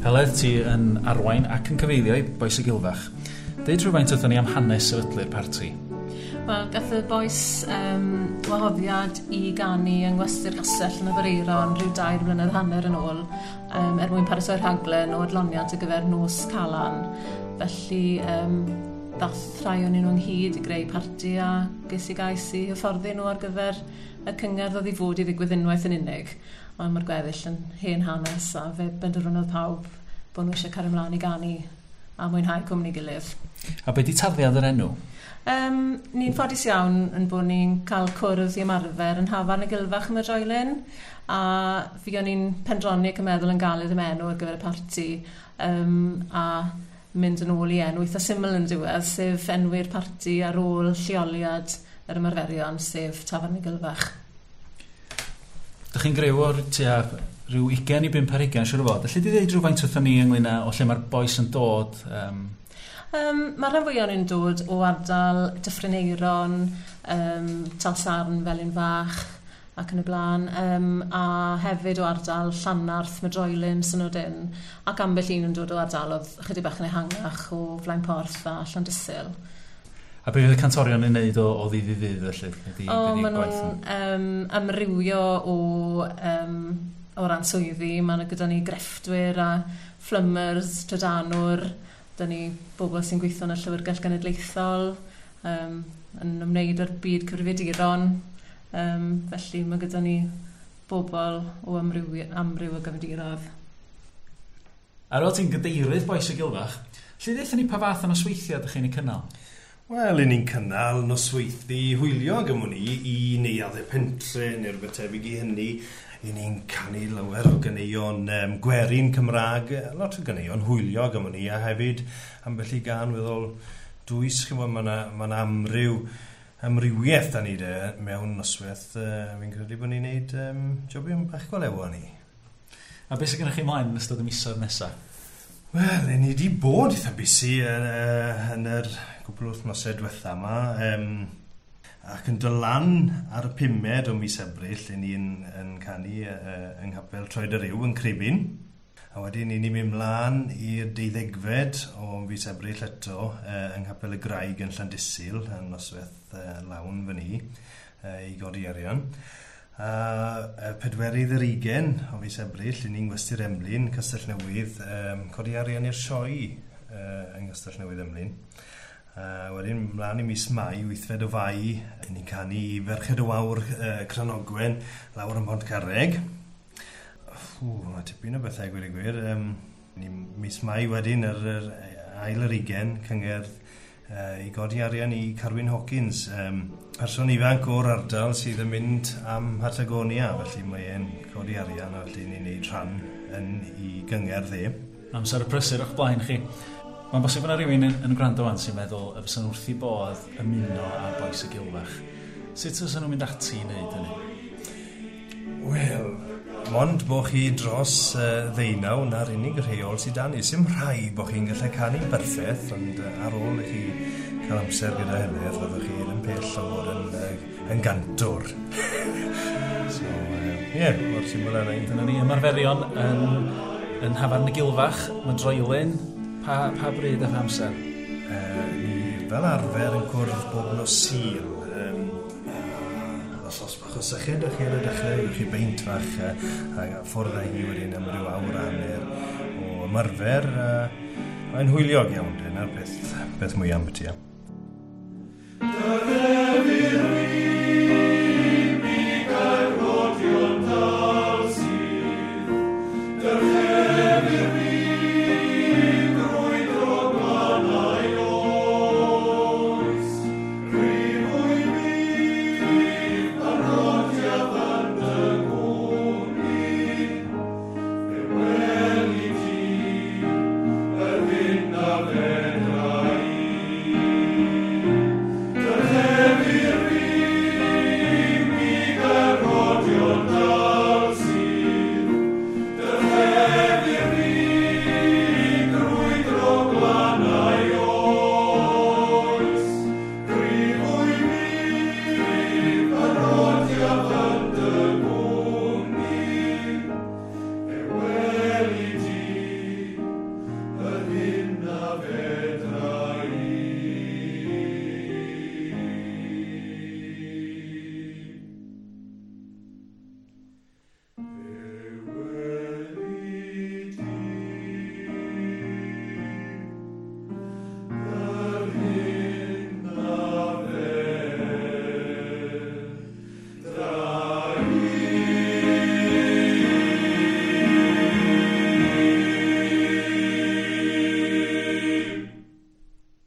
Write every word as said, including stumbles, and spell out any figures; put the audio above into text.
Heledd, ti yn arwain ac yn cyfeilio i Bois y Gilfach. Deud rhywfaint wrthon ni am hanes sefydlu'r parti. Wel, gath y bois um, wahoddiad i ganu yng Ngwesty'r Castell yn Aberaeron rhyw dair blynedd hanner yn ôl um, er mwyn paratoi'r rhaglen o adloniant ar gyfer nos Calan. Felly, um, dath rhai o'n nhw ynghyd i greu parti a ges i gais i hyfforddi nhw ar gyfer y cyngerdd oedd i fod i ddigwydd unwaith yn unig. Ond mae'r gweddill yn hen hanes a fe benderfynodd pawb bod nhw eisiau cario ymlaen i ganu a mwynhau cwmni gilydd. A be di tarddiad yr enw? Um, ni'n ffodus iawn yn bod ni'n cael cwrdd i ymarfer yn Nhafarn y Gilfach ym Mydroilyn, a fi o'n i'n pendroni ac yn meddwl yn galed am enw ar gyfer y parti um, a mynd yn ôl i enw eitha syml yn diwedd, sef enwi'r parti ar ôl lleoliad yr ymarferion, sef Tafarn y Gilfach. Dych chi'n griw o'r tua rhyw ugain i bump ar hugain, siŵr o fod. Alli di ddeud rhywfaint wrthon ni ynglyn â o lle mae'r bois yn dod? Um... Um, mae'r rhan fwyaf nhw'n dod o ardal Dyffryn Aeron, um, Talsarn, Felin Fach ac yn y blaen, um, a hefyd o ardal Llanarth, Mydroilyn, Synodyn, ac ambell un yn dod o ardalodd chydig bach yn ehangach o Flaenporth a Llandysul. A be fydd y cantorion yn neud o, o ddydd i ddydd felly? Ydy, o, maen nhw'n um, amrywio o, um, o ran swyddi. Mae gyda ni grefftwyr a plumbers, trydanwr, da ni bobl sy'n gweithio yn y Llyfrgell Genedlaethol, um, yn ymwneud â'r byd cyfrifiaduron. Um, felly mae gyda ni bobl o amryw, amryw o gefndiroedd. Ar ôl ti'n gadeirydd Bois y Gilfach, lle ddeutha ni pa fath o nosweithiau ydych chi'n ei cynnal? Wel, i ni'n cynnal nosweithi hwyliog am wn i, i neuaddau pentre neu rhywbeth tebyg i hynny. I ni'n canu lawer o ganeuon um, gwerin Cymraeg, lot o ganeuon hwyliog am wn i, a hefyd ambell i gân weddol dwys, chi'n gwbod, mae yna ma amryw, amrywiaeth da ni de mewn noswaith. Uh, fi'n credu bod ni'n neud um, jobion bach go lew ni. A beth sydd gennych chi mlaen yn ystod y misoedd nesaf? Wel, ni wedi bod eitha busy yn, uh, yn yr cwpl o wythnosau diwetha yma. Um, ac yn dod lan ar y pumed o mis Ebrill, i ni'n yn canu uh, yng Nghapel Troed y Rhiw yn Cribyn. A wedyn i ni'n mynd mlaen i'r deuddegfed o fis Ebrill eto uh, yng Nghapel y Graig yn Llandysul, yn noswaith uh, lawn fyny, uh, i godi arian. A uh, pedwerydd yr ugen o fis Ebrill, i ni'n Gwesty'r Emlyn, Castell Newydd, um, codi arian i'r sioe uh, yng Nghastell Newydd Emlyn. Uh, wedyn, mlaen i mis Mai, wythfed o Fai, i ni'n canu i Ferched y Wawr uh, Cranogwen, lawr yn Pontcarreg. Ww, mae tipyn o bethau gweud y gwir. Um, ni mis Mai wedyn, yr, yr ail yr ugen, cyngerdd uh, i godi arian i Carwyn Hawkins, um, person ifanc o'r ardal sydd yn mynd am Patagonia, felly mae e'n codi arian a felly ni'n neud rhan yn i gyngerdd e. Amser y prysur o'ch blaen chi. Mae'n bosib yna rhywun yn, yn gwrando wan sy'n meddwl y fysa'n wrth i bodd ymuno â Bois y Gilfach. Sut fysa nhw'n mynd ati i wneud hynny? Wel, mond bo chi dros uh, ddeunaw na'r unig rheol sydd dan ni. Sim rhaid bo chi'n gallu canu'n berffaith, ond uh, ar ôl i chi cael amser gyda Heledd, fyddwch chi yn pell o fod yn, uh, yn gantwr. So, ie, uh, yeah, mor syml â 'na. Dyna ni ymarferion yn, yn Nhafarn y Gilfach, Mydroilyn. Pa, pa bryd a pha amser? Uh, ni fel arfer yn cwrdd bob nos Sul. Um, os oes bach o syched o'ch chi ar y dechrau, ewch chi beint fach uh, a ffwrdd â hi wedyn am ryw awr a hanner o ymarfer. Uh, mae'n hwyliog iawn, dyna'r peth, peth mwyaf am byti.